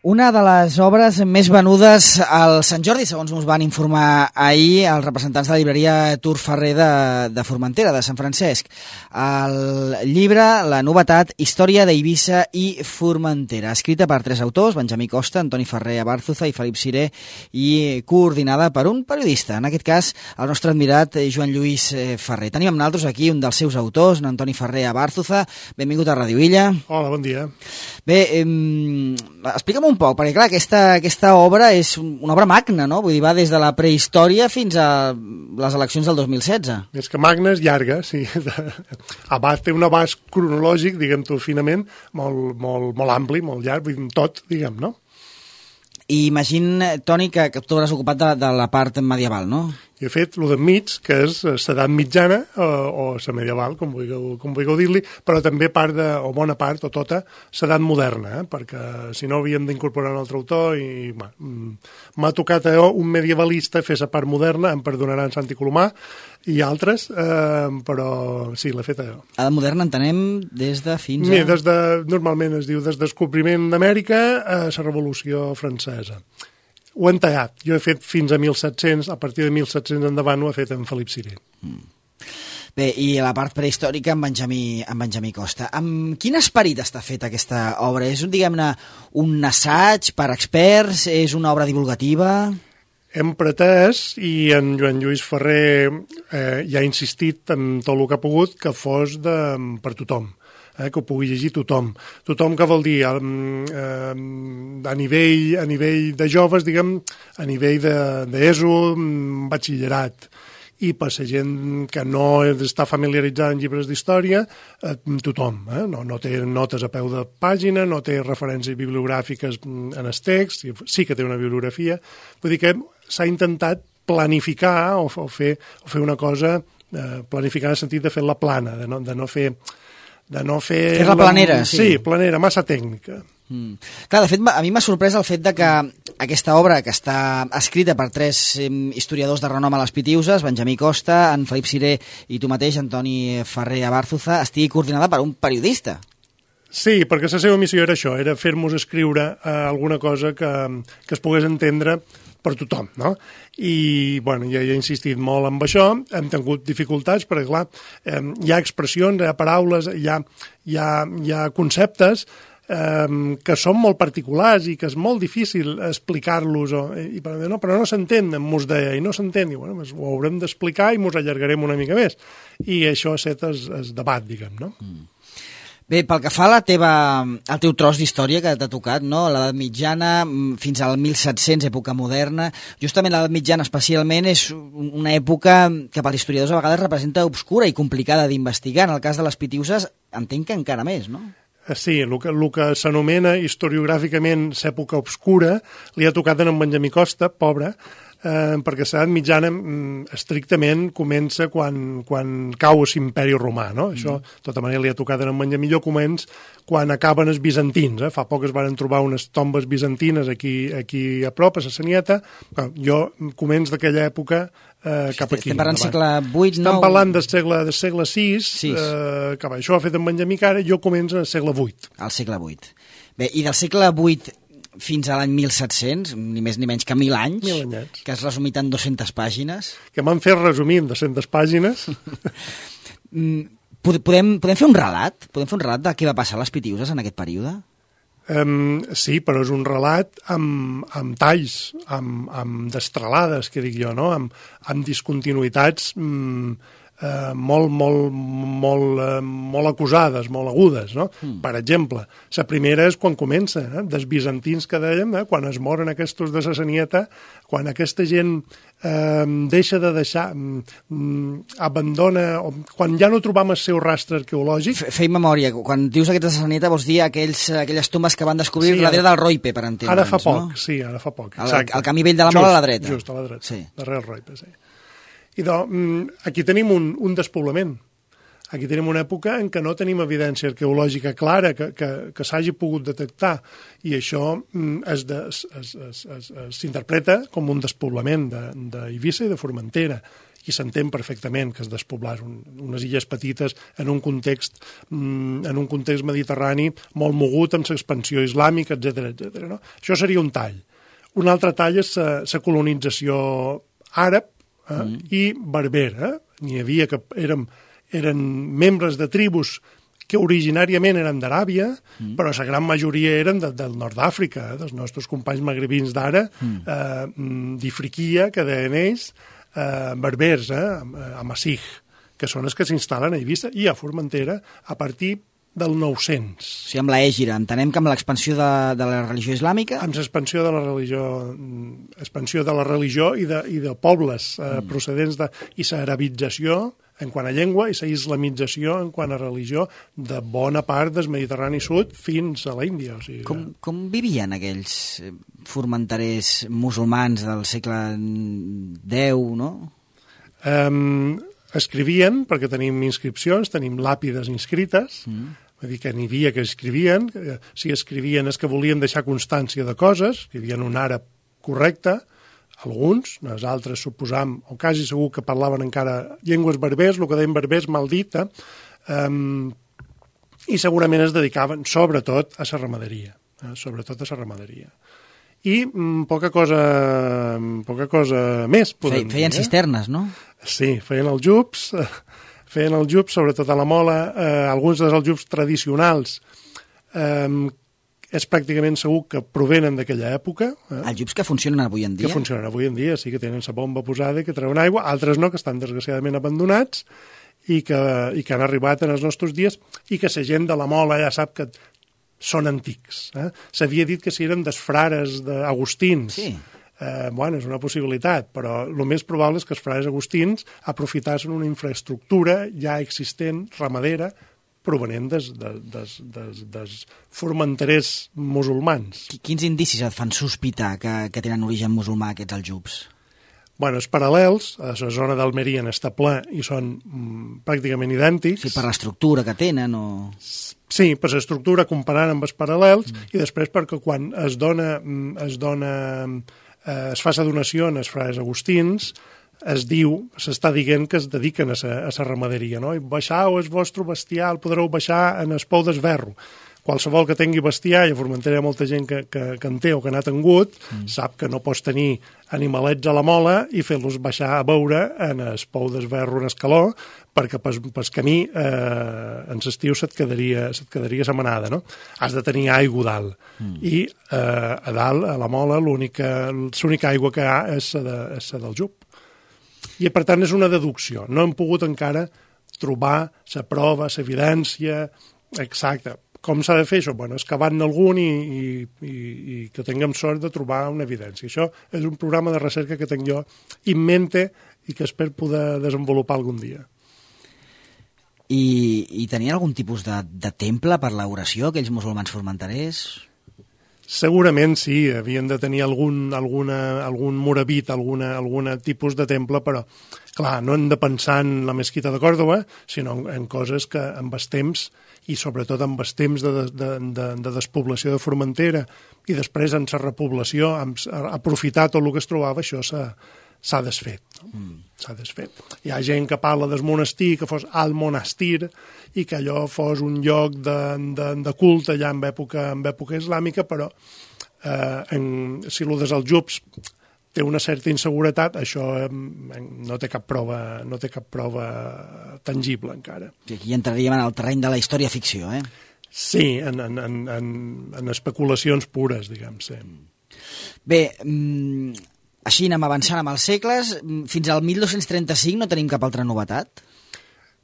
Una de les obres més venudes al Sant Jordi, segons ens van informar ahir els representants de la llibreria Tur Ferrer de Formentera, de Sant Francesc. El llibre, la novetat, Història d'Eivissa i Formentera, escrita per 3 autors, Benjamí Costa, Antoni Ferrer Abárzuza i Felip Siré, i coordinada per un periodista, en aquest cas el nostre admirat Joan Lluís Ferrer. Tenim amb nosaltres aquí un dels seus autors, Antoni Ferrer Abárzuza. Benvingut a Ràdio Illa. Hola, bon dia. Bé, explica'm un poc, perquè clar, aquesta obra és una obra magna, no? Vull dir, va des de la prehistòria fins a les eleccions del 2016. Més que magna és llarga, sí. Té un abast cronològic, diguem-ho finament, molt ampli, molt llarg, tot, diguem, no? I imagina, Toni, que tu hauràs ocupat de la part medieval, no? I he fet el d'enmig, que és l'edat mitjana o la medieval, com vulgueu dir-li, però també bona part, o tota, l'edat moderna, perquè si no havíem d'incorporar un altre autor i m'ha tocat un medievalista fer la part moderna, em perdonaran Santi Colomà i altres, però sí, l'he fet allò. Edat moderna entenem des de fins a... Normalment es diu des del descobriment d'Amèrica a la Revolució Francesa. Ho he tallat. Jo he fet fins a 1700, a partir de 1700 endavant ho he fet en Felip Siré. Bé, i la part prehistòrica amb Benjamí Costa. Amb quin esperit està feta aquesta obra? És, diguem-ne, un assaig per experts? És una obra divulgativa? Hem pretès, i en Joan Lluís Ferrer ja ha insistit en tot el que ha pogut, que fos per tothom. Que ho pugui llegir tothom. Tothom que vol dir a nivell de joves, diguem, a nivell d'ESO, batxillerat, i per la gent que no està familiaritzada amb llibres d'història, tothom. No té notes a peu de pàgina, no té referències bibliogràfiques en el text, sí que té una bibliografia. Vull dir que s'ha intentat planificar o fer una cosa, planificar en el sentit de fer-la plana, de no fer... Fer-la planera, sí. Sí, planera, massa tècnica. Clar, de fet, a mi m'ha sorprès el fet de que aquesta obra, que està escrita per 3 historiadors de renom a les Pitiüses, Benjamí Costa, en Felip Siré i tu mateix, Antoni Ferrer Abárzuza, estigui coordinada per un periodista. Sí, perquè la seva missió era això, era fer-nos escriure alguna cosa que es pogués entendre per tothom, no? I, bueno, ja he insistit molt en això, hem tingut dificultats, perquè, clar, hi ha expressions, hi ha paraules, hi ha conceptes que són molt particulars i que és molt difícil explicar-los, però no s'entén, mos deia, i no s'entén, i bueno, ho haurem d'explicar i mos allargarem una mica més. I això ha estat el debat, diguem, no? Bé, pel que fa a al teu tros d'història que t'ha tocat, no? L'edat mitjana fins al 1700, època moderna. Justament l'edat mitjana especialment és una època que per als historiadors a vegades representa obscura i complicada d'investigar. En el cas de les Pitiüses entenc que encara més, no? Sí, el que s'anomena historiogràficament l'època obscura li ha tocat a en Benjamí Costa, pobre, perquè l'edat mitjana estrictament comença quan cau l'imperi romà, no? Això, de tota manera, li ha tocat en Benjamí. Jo començ quan acaben els bizantins. Fa poc es van trobar unes tombes bizantines aquí a prop, a la Sanieta. Jo començ d'aquella època cap aquí. Estem parlant del segle VIII, Estem parlant del segle VI, que això ho ha fet en Benjamí Cara, jo començo al segle VIII. Al segle VIII. Bé, i del segle VIII fins a l'any 1700, ni més ni menys que 1.000 anys, 1.000 anyets, que has resumit en 200 pàgines. Que m'han fet resumir en 200 pàgines. Podem fer un relat? Podem fer un relat de què va passar a les Pitiüses en aquest període? Sí, però és un relat amb talls, amb destralades, que dic jo, no? Amb discontinuïtats molt acusades, molt agudes, no? Per exemple, la primera és quan comença, dels bizantins que dèiem, quan es moren aquests de la Sanieta, quan aquesta gent deixa de deixar, abandona, quan ja no trobam el seu rastre arqueològic... Feim memòria, quan dius aquests de la Sanieta vols dir aquelles tombes que van descobrir darrere del Roipe, per entendre'ns, no? Ara fa poc, no? Sí, ara fa poc. Al camí vell de la Mola a la dreta. Just a la dreta, sí. Darrere el Roipe, sí. I aquí tenim un despoblament. Aquí tenim una època en què no tenim evidència arqueològica clara que s'hagi pogut detectar, i això s'interpreta com un despoblament d'Eivissa i de Formentera. i s'entén perfectament que es despoblàs unes illes petites en un context mediterrani molt mogut amb l'expansió islàmica, etc. No? Això seria un tall. Un altre tall és la colonització àrab i berber. N'hi havia que eren membres de tribus que originàriament eren d'Aràbia, però la gran majoria eren del nord d'Àfrica, dels nostres companys magrebins d'ara, d'Ifriquia, que deien ells, berbers, a Massig, que són els que s'instal·len a Eivissa i a Formentera a partir del 900. O sigui, amb l'Ègira, entenem que amb l'expansió de la religió islàmica... Amb l'expansió de la religió i de pobles procedents i l'arabització en quant a llengua i la islamització en quant a religió de bona part del Mediterrani Sud fins a l'Índia. O sigui, com vivien aquells formenterers musulmans del segle X, no? Escrivien, perquè tenim inscripcions, tenim làpides inscrites, vull dir que n'hi havia que escrivien, si escrivien és que volien deixar constància de coses, escrivien un àrab correcte, alguns, els altres suposam, o quasi segur que parlaven encara llengües berbers, el que deien berbers mal dita, i segurament es dedicaven sobretot a la ramaderia, I poca cosa més, podem dir. Feien cisternes, no? Sí, feien els jups, sobretot a la Mola, alguns dels aljubs tradicionals, és pràcticament segur que provenen d'aquella època. Aljubs que funcionen avui en dia. Que funcionen avui en dia, sí, que tenen la bomba posada i que treuen aigua, altres no, que estan desgraciadament abandonats i que han arribat en els nostres dies i que la gent de la Mola ja sap que són antics. S'havia dit que si eren dels frares d'agustins. Sí. És una possibilitat, però el més probable és que els frares agustins aprofitassin una infraestructura ja existent, ramadera, provenent dels formenterers musulmans. Quins indicis et fan sospitar que tenen origen musulmà aquests aljubs? Els paral·lels, a la zona d'Almeria n'està ple i són pràcticament idèntics. Sí, per l'estructura que tenen o... Sí, per l'estructura comparant amb els paral·lels i després perquè quan es fa la donació als frares agustins, s'està dient que es dediquen a la ramaderia, no? I baixau el vostre bestiar, el podreu baixar en el pou d'esberro. Qualsevol que tingui bestiar, i a Formentera hi ha molta gent que en té o que n'ha tingut, sap que no pots tenir animalets a la mola i fer-los baixar a beure en el pou d'esberro en el calor, perquè pel camí en l'estiu se't quedaria la manada, no? Has de tenir aigua dalt. I a dalt, a la mola, l'única aigua que hi ha és la del jup. I, per tant, és una deducció. No hem pogut encara trobar la prova, l'evidència exacta. Com s'ha de fer això? Excavant algun i que tinguem sort de trobar una evidència. Això és un programa de recerca que tinc jo en mente i que espero poder desenvolupar algun dia. I tenien algun tipus de temple per l'oració, aquells musulmans formenterers? Segurament sí, havien de tenir algun moravit, algun tipus de temple, però, clar, no hem de pensar en la mesquita de Còrdova, sinó en coses que amb el temps, i sobretot amb el temps de despoblació de Formentera, i després en la repoblació, aprofitar tot el que es trobava, això s'ha desfet. S'ha desfet. Hi ha gent que parla del monestir, que fos al monastir, i que allò fos un lloc de culte ja en època islàmica, però si el dels aljubs té una certa inseguretat, això no té cap prova tangible encara. Aquí entraríem en el terreny de la història-ficció, eh? Sí, en especulacions pures, diguem-se. Bé, així anem avançant amb els segles. Fins al 1235 no tenim cap altra novetat?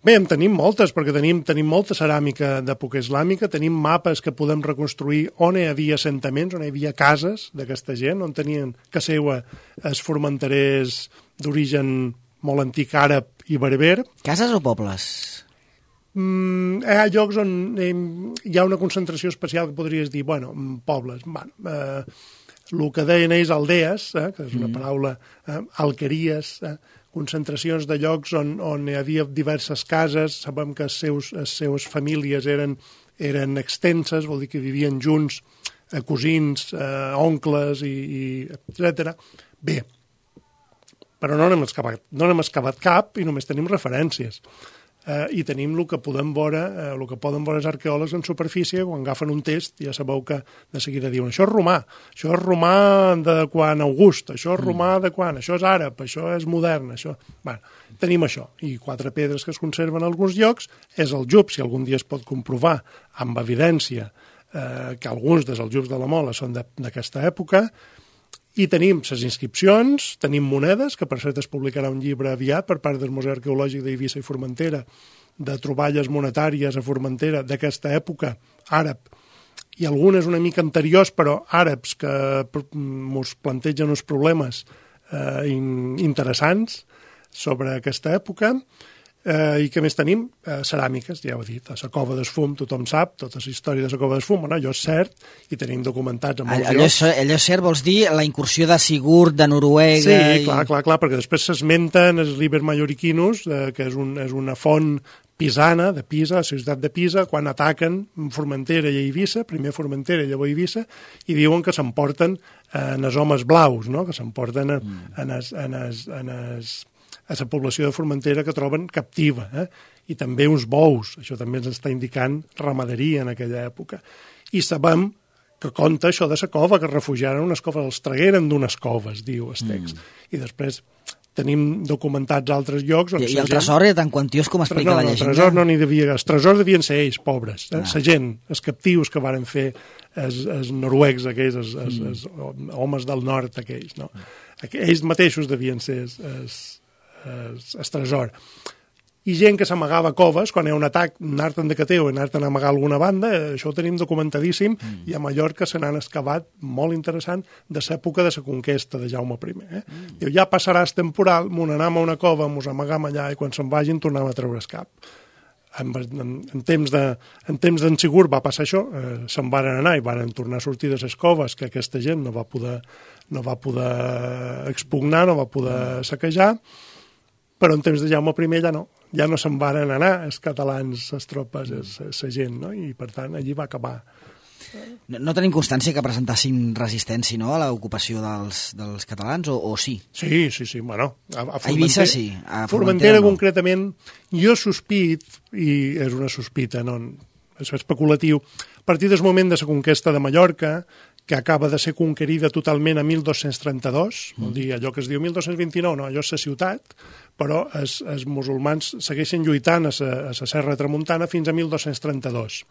Bé, en tenim moltes, perquè tenim molta ceràmica d'època islàmica, tenim mapes que podem reconstruir on hi havia assentaments, on hi havia cases d'aquesta gent, on tenien que seua els formenterers d'origen molt antic àrab i berber. Cases o pobles? Hi ha llocs on hi ha una concentració especial que podries dir, pobles. El que deien ells aldees, que és una paraula, alqueries, concentracions de llocs on hi havia diverses cases, sabem que les seves famílies eren extenses, vol dir que vivien junts, cosins, oncles, etc. Bé, però no n'hem excavat cap i només tenim referències. I tenim el que poden veure els arqueòlegs en superfície, quan agafen un test ja sabeu que de seguida diuen això és romà de quan August, això és romà de quan, això és àrab, això és modern, això... Bueno, tenim això, i 4 pedres que es conserven en alguns llocs, és el Jub, si algun dia es pot comprovar amb evidència que alguns dels Jubs de la Mola són d'aquesta època, i tenim les inscripcions, tenim monedes, que per cert es publicarà un llibre aviat per part del Museu Arqueològic d'Eivissa i Formentera, de troballes monetàries a Formentera d'aquesta època, àrab, i algunes una mica anteriors, però àrabs que ens plantegen uns problemes interessants sobre aquesta època. I què més tenim? Ceràmiques, ja ho he dit, a la Cova d'Esfum, tothom sap, tota la història de la Cova d'Esfum, bueno, allò és cert, i tenim documentats en molts llocs. Allò és cert, vols dir la incursió de Sigurd, de Noruega... Sí, clar, perquè després s'esmenten els Liber Mallorquinus, que és una font pisana, de Pisa, la ciutat de Pisa, quan ataquen Formentera i Eivissa, primer Formentera i llavors Eivissa, i diuen que s'emporten en els homes blaus, no? Que s'emporten a la població de Formentera que troben captiva, i també uns bous, això també ens està indicant ramaderia en aquella època. I sabem que conta això de la cova, que es refugiaren unes coves, els tragueren d'unes coves, diu el text. I després tenim documentats altres llocs... I el tresor era tan quantiós com explica la llegenda? El tresor no n'hi devia... Els tresors devien ser ells, pobres. La gent, els captius que varen fer els noruecs aquells, els homes del nord aquells, no? Ells mateixos devien ser el tresor. I gent que s'amagava a coves, quan hi ha un atac, anar-te'n de cateu i anar-te'n a amagar alguna banda, això ho tenim documentadíssim, i a Mallorca se n'han excavat molt interessant de l'època de la conquesta de Jaume I. Diu, ja passaràs temporal, m'on anam a una cova, mos amagam allà, i quan se'n vagin tornem a treure el cap. En temps d'en Sigurd va passar això, se'n varen anar i varen tornar a sortir de les coves, que aquesta gent no va poder expugnar, no va poder saquejar, però en temps de Jaume I ja no se'n varen anar els catalans, les tropes, la gent, no? I per tant allí va acabar. No tenim constància que presentassin resistència, no?, a l'ocupació dels catalans, o sí? Sí, bueno. A Eivissa sí. A Formentera concretament, jo sospit, i és una sospita, no, és especulatiu, a partir del moment de la conquesta de Mallorca, que acaba de ser conquerida totalment a 1232, vol dir allò que es diu 1229, no, allò és la ciutat, però els musulmans segueixen lluitant a la Serra Tramuntana fins a 1232.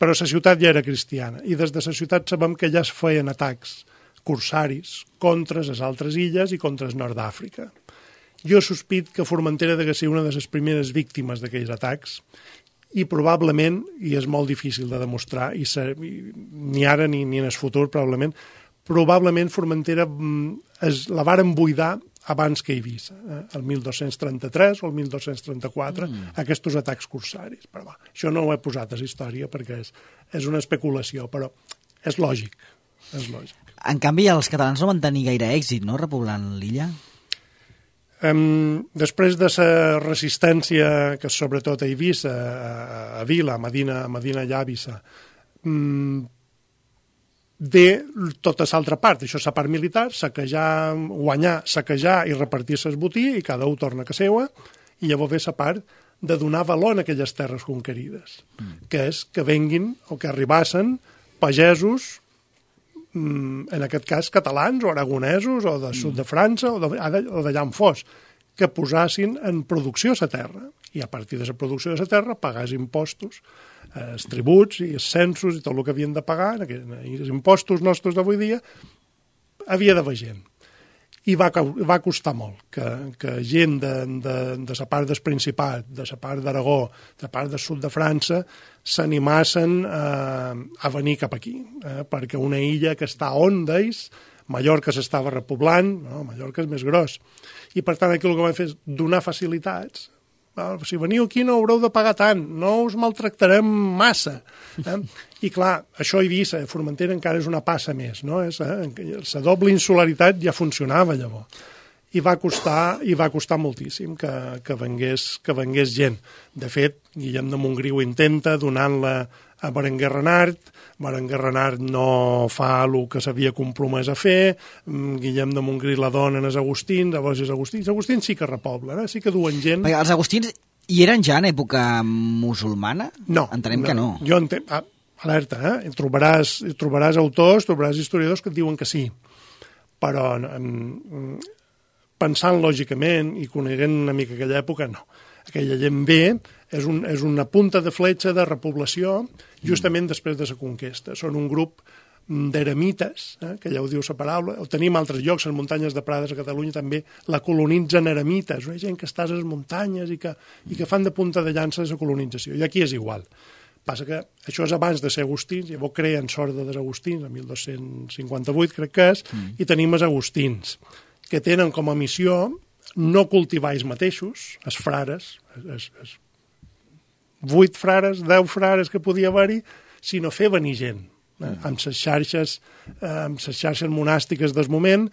Però la ciutat ja era cristiana, i des de la ciutat sabem que ja es feien atacs corsaris contra les altres illes i contra el nord d'Àfrica. Jo sospit que Formentera ha de ser una de les primeres víctimes d'aquells atacs, i probablement, i és molt difícil de demostrar, ni ara ni en el futur probablement Formentera la varen buidar abans que Eivissa, el 1233 o el 1234, aquests atacs corsaris. Però això no ho he posat a la història perquè és una especulació, però és lògic. En canvi, els catalans no van tenir gaire èxit, no?, repoblant l'illa? Després de la resistència, que sobretot a Eivissa, a Vila, a Medina Llàvissa, ve tota l'altra part, això és la part militar, guanyar, saquejar i repartir-se el botí, i cada un torna a casa seva, i llavors ve la part de donar valor a aquelles terres conquerides, que és que venguin o que arribassen pagesos, en aquest cas catalans o aragonesos o del sud de França o d'allà on fos, que posassin en producció la terra, i a partir de la producció de la terra pagar impostos, els tributs i els censos i tot el que havien de pagar, i els impostos nostres d'avui dia, havia d'haver gent. I va costar molt que gent de la part del Principat, de la part d'Aragó, de la part del sud de França, s'animassen a venir cap aquí, perquè una illa que està on d'ells, Mallorca s'estava repoblant, no? Mallorca és més gros, i per tant aquí el que van fer és donar facilitats. Si veniu aquí no haureu de pagar tant, no us maltractarem massa. I clar, això a Eivissa, Formentera encara és una passa més, no? La doble insularitat ja funcionava llavors. I va costar moltíssim que vengués gent. De fet, Guillem de Montgrí ho intenta donant-la a Berenguer Renart. Berenguer Renart no fa el que s'havia compromès a fer, Guillem de Montgrí la dona en els Agustins, llavors els Agustins sí que repoblen, sí que duen gent. Perquè els Agustins hi eren ja en època musulmana? No. Entenem que no. Jo entenc, alerta, trobaràs autors, trobaràs historiadors que et diuen que sí, però pensant lògicament i coneguent una mica aquella època, no. Aquella gent ve és una punta de fletxa de repoblació justament després de la conquesta. Són un grup d'eremites, que ja ho diu la paraula, ho tenim a altres llocs, les muntanyes de Prades a Catalunya també la colonitzen eremites, gent que està a les muntanyes i que fan de punta de llança de la colonització. I aquí és igual. Passa que això és abans de ser agustins, llavors creen Sorda dels Agustins, el 1258 crec que és, i tenim els agustins, que tenen com a missió no cultivar ells mateixos, els frares, 8 frares, 10 frares que podia haver-hi, sinó fer venir gent. Amb les xarxes monàstiques del moment,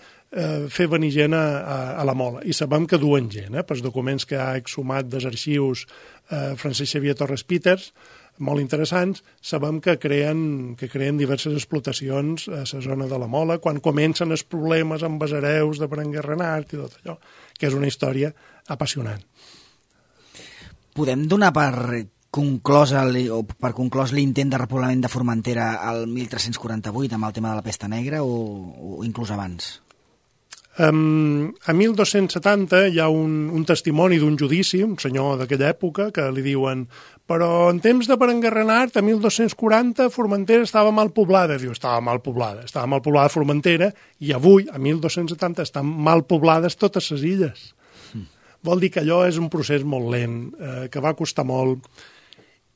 fer venir gent a la Mola. I sabem que duen gent, pels documents que ha exhumat dels arxius Francesc Xavier Torres Peters, molt interessants, sabem que creen diverses explotacions a la zona de la Mola, quan comencen els problemes amb els hereus de Berenguer Renart i tot allò, que és una història apassionant. Podem donar per conclòs l'intent de repoblament de Formentera al 1348 amb el tema de la pesta negra o inclús abans? A 1270 hi ha un testimoni d'un judici, un senyor d'aquella època, que li diuen però en temps de Berenguer Renart, a 1240, Formentera estava mal poblada. Diu, estava mal poblada Formentera, i avui, a 1270, estan mal poblades totes les illes. Vol dir que allò és un procés molt lent, que va costar molt,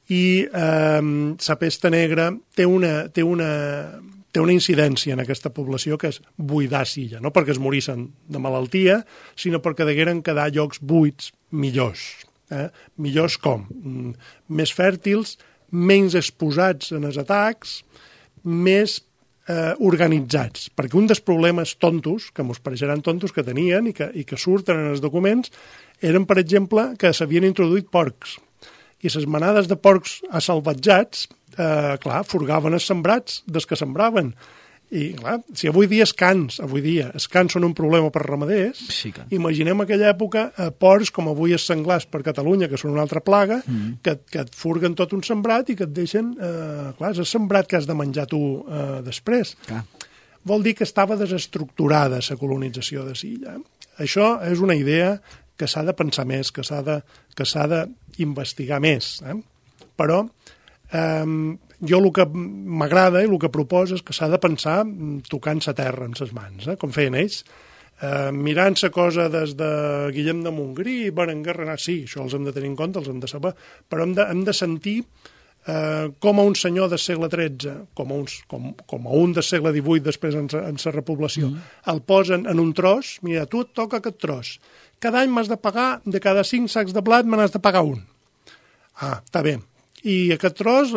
i la pesta negra té una incidència en aquesta població que és buidar l'illa, no perquè es morissin de malaltia, sinó perquè degueren quedar llocs buits millors. Millors com? Més fèrtils, menys exposats en els atacs, més organitzats. Perquè un dels problemes tontos, que ens pareixeran tontos que tenien i que surten en els documents, eren, per exemple, que s'havien introduït porcs. I les manades de porcs assalvatjats, furgaven els sembrats dels que sembraven. I, clar, si avui dia els cans són un problema per ramaders, sí que. Imaginem aquella època porcs com avui els senglars per Catalunya, que són una altra plaga, que et furguen tot un sembrat i que et deixen... és el sembrat que has de menjar tu després. Clar. Vol dir que estava desestructurada la colonització de l'illa. Això és una idea que s'ha de pensar més, que s'ha d'investigar més. Però jo el que m'agrada i el que proposo és que s'ha de pensar tocant la terra amb les mans, com feien ells, mirant la cosa des de Guillem de Montgrí, Berenguer Renart, sí, això els hem de tenir en compte, els hem de saber, però hem de sentir com a un senyor del segle XIII, com a un del segle XVIII després en la repoblació, el posen en un tros, mira, tu et toca aquest tros, cada any m'has de pagar, de cada 5 sacs de blat me n'has de pagar un. Està bé. I aquest tros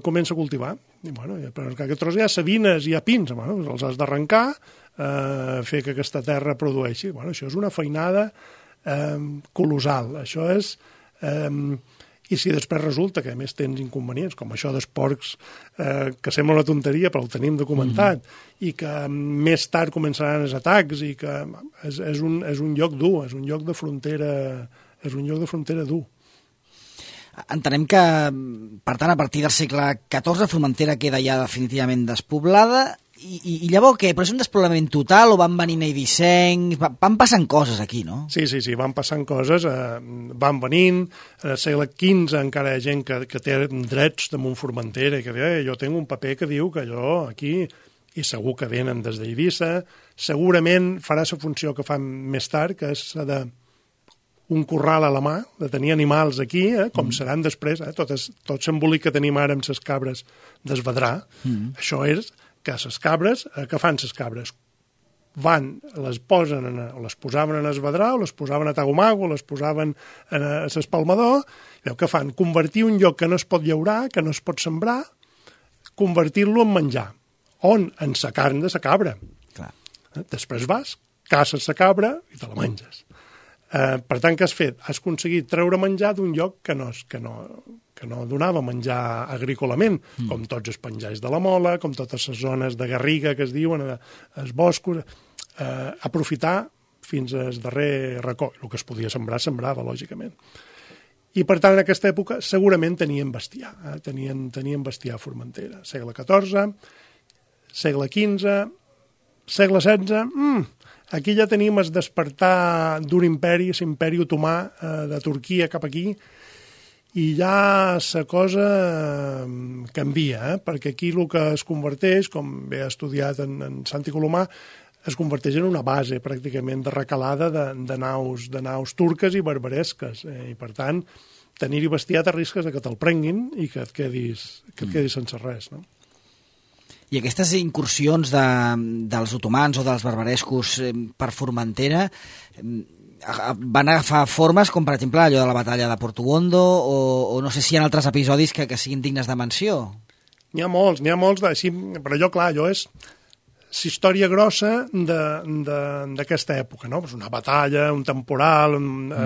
comença a cultivar. I, però en aquest tros hi ha savines i hi ha pins, els has d'arrencar, fer que aquesta terra produeixi. Això és una feinada colossal. Això és... I si després resulta que a més tens inconvenients, com això dels porcs, que sembla una tonteria, però ho tenim documentat, i que més tard començaran els atacs, i que és un lloc dur, és un lloc de frontera dur. Entenem que, per tant, a partir del segle XIV, Formentera queda ja definitivament despoblada, i llavors què? Però és un despoblament total o van venint Eivissencs? Van passant coses aquí, no? Sí, van passant coses, van venint. En el segle XV encara hi ha gent que té drets damunt Formentera i que diu, jo tinc un paper que diu que jo aquí, i segur que venen des d'Eivissa, segurament farà la funció que fan més tard, que és la de un corral a la mà, de tenir animals aquí, com seran després, tot l'embolic que tenim ara amb les cabres d'Esvedrà, això és que les cabres, què fan les cabres? Les posaven en Esvedrà, o les posaven a Tagomago, o les posaven a l'Espalmador, i què fan? Convertir un lloc que no es pot llaurar, que no es pot sembrar, convertir-lo en menjar. On? En la carn de la cabra. Clar. Després vas, caces la cabra i te la menges. Per tant, què has fet? Has aconseguit treure menjar d'un lloc que no no donava menjar agrícolament, com tots els penjais de la Mola, com totes les zones de garriga que es diuen, els boscos, aprofitar fins al darrer racó. El que es podia sembrar, sembrava, lògicament. I, per tant, en aquesta època segurament tenien bestiar. Tenien bestiar a Formentera. Segle XIV, segle XV, segle XVI... Aquí ja tenim el despertar d'un imperi, l'imperi otomà de Turquia cap aquí, i ja la cosa canvia, perquè aquí el que es converteix, com bé ha estudiat en Santi Colomà, es converteix en una base pràcticament de recalada de naus turques i barbaresques. I per tant, tenir-hi bestiar t'arrisques que te'l prenguin i que et quedis sense res, no? I aquestes incursions dels otomans o dels barbarescos per Formentera van agafar formes com, per exemple, allò de la batalla de Portugondo o no sé si hi ha altres episodis que siguin dignes de menció. N'hi ha molts, però allò, clar, allò és la història grossa d'aquesta època, no? Una batalla, un temporal,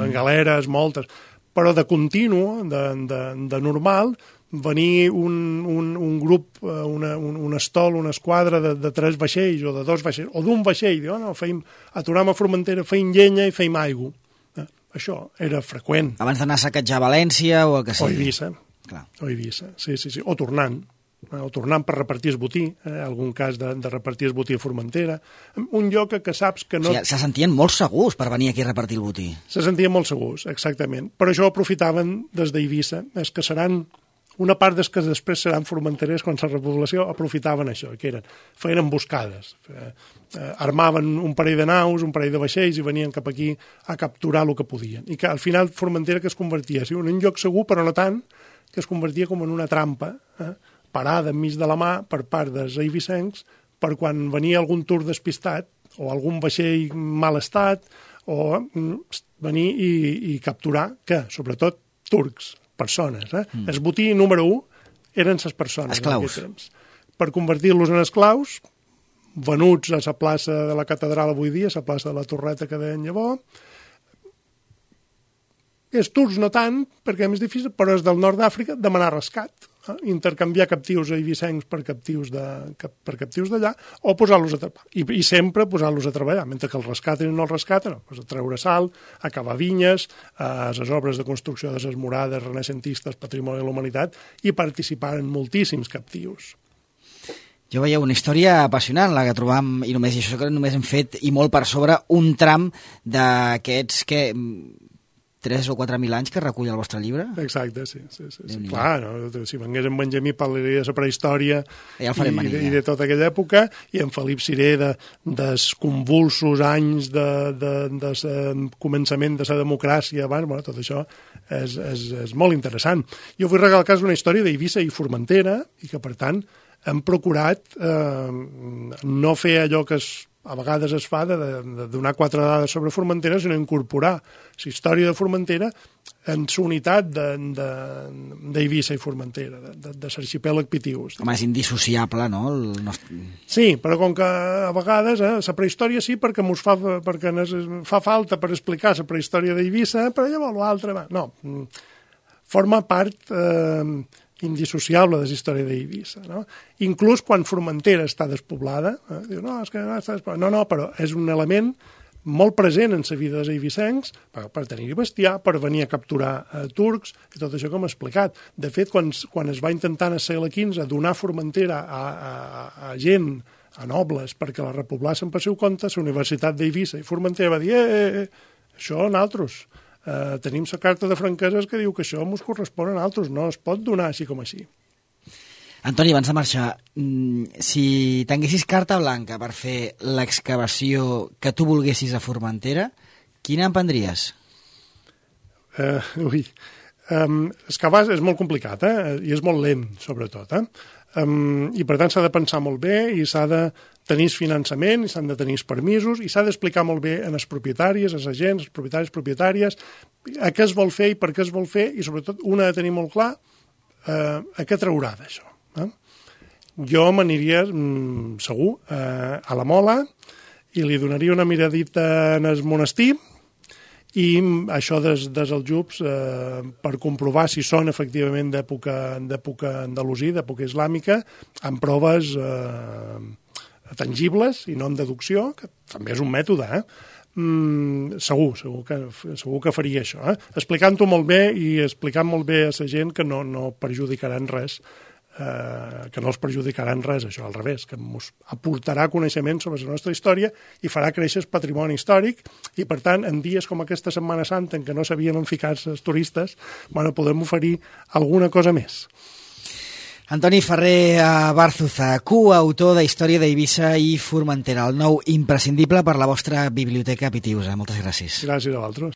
galeres, moltes, però de continu, de normal, venir un grup, un estol, una esquadra de 3 vaixells o de 2 vaixells, o d'un vaixell, diu, no, aturam a Formentera, feim llenya i feim aigua. Això era freqüent. Abans d'anar a saquejar València o el que sigui. O Eivissa. Clar. O Eivissa, sí. O tornant per repartir el botí, algun cas de repartir el botí a Formentera, un lloc que saps que no... O sigui, se sentien molt segurs per venir aquí a repartir el botí. Se sentien molt segurs, exactament. Per això aprofitaven des d'Eivissa, és que seran... Una part dels que després seran formenterers quan la repoblació aprofitaven això, que feien emboscades, armaven un parell de naus, un parell de vaixells i venien cap aquí a capturar el que podien. I que al final Formentera que es convertia en un lloc segur, però no tant, que es convertia com en una trampa, parada enmig de la mà per part dels eivissencs, per quan venia algun tur despistat o algun vaixell mal estat, o venir i capturar, que sobretot turcs, persones. El botí número 1 eren les persones. Esclaus. Per convertir-los en esclaus, venuts a la plaça de la catedral avui dia, a la plaça de la Torreta que deien llavors. Els turcs no tant, perquè és més difícil, però és del nord d'Àfrica demanar rescat, intercanviar captius eivissencs per captius d'allà, o posar-los a treballar. I sempre posar-los a treballar, mentre que el rescaten i no el rescaten, a treure sal, a cavar vinyes, a les obres de construcció de les murades renaixentistes, patrimoni de la humanitat, i participar en moltíssims captius. Jo veieu una història apassionant, la que trobam, i només això que només hem fet, i molt per sobre, un tram d'aquests que... 3 o 4.000 anys que recull el vostre llibre? Exacte, sí. Clar, no? Si vengués en Benjamí parlaria de la prehistòria i de tota aquella època, i en Felip Ciré dels convulsos anys de començament de la democràcia abans, bueno, tot això és molt interessant. Jo vull recalcar una història d'Eivissa i Formentera, i que, per tant, hem procurat no fer allò que a vegades es fa de donar 4 dades sobre Formentera, sinó incorporar la història de Formentera en la unitat d'Eivissa i Formentera, de l'arxipèlag Pitius. Home, és indissociable, no? Sí, però com que a vegades la prehistòria sí, perquè fa falta per explicar la prehistòria d'Eivissa, però llavors l'altre... No, forma part... indissociable de la història d'Eivissa, no? Inclús quan Formentera està despoblada, diu, no, és que no està despoblada. No, però és un element molt present en la vida dels eivissencs per tenir-hi bestiar, per venir a capturar turcs, i tot això com he explicat. De fet, quan es va intentar en el segle XV donar Formentera a gent, a nobles, perquè la repoblassen per seu compte, la Universitat d'Eivissa i Formentera va dir, això nosaltres... tenim la carta de franqueses que diu que això ens correspon a nosaltres, no es pot donar així com així. Antoni, abans de marxar, si tinguessis carta blanca per fer l'excavació que tu volguessis a Formentera, quina emprendries? Excavar és molt complicat, i és molt lent, sobretot, i per tant s'ha de pensar molt bé i s'ha de tenir finançament, i s'han de tenir permisos, i s'ha d'explicar molt bé a les propietàries, als agents, als propietaris, propietàries, a què es vol fer i per què es vol fer, i sobretot una ha de tenir molt clar a què traurà d'això. Jo m'aniria segur a la Mola i li donaria una miradita en el monestir i això dels aljubs, per comprovar si són efectivament d'època andalusí, d'època islàmica, amb proves tangibles i no amb deducció, que també és un mètode, segur que faria això, explicant-ho molt bé i explicant molt bé a la gent que no perjudicaran res, que no els perjudicaran res, això, al revés, que ens aportarà coneixement sobre la nostra història i farà créixer el patrimoni històric i, per tant, en dies com aquesta Setmana Santa en què no sabien enficar-se els turistes, podem oferir alguna cosa més. Antoni Ferrer Bárzuza, coautor de Història d'Eivissa i Formentera, el nou imprescindible per la vostra biblioteca Pitiusa. Moltes gràcies. Gràcies a vosaltres.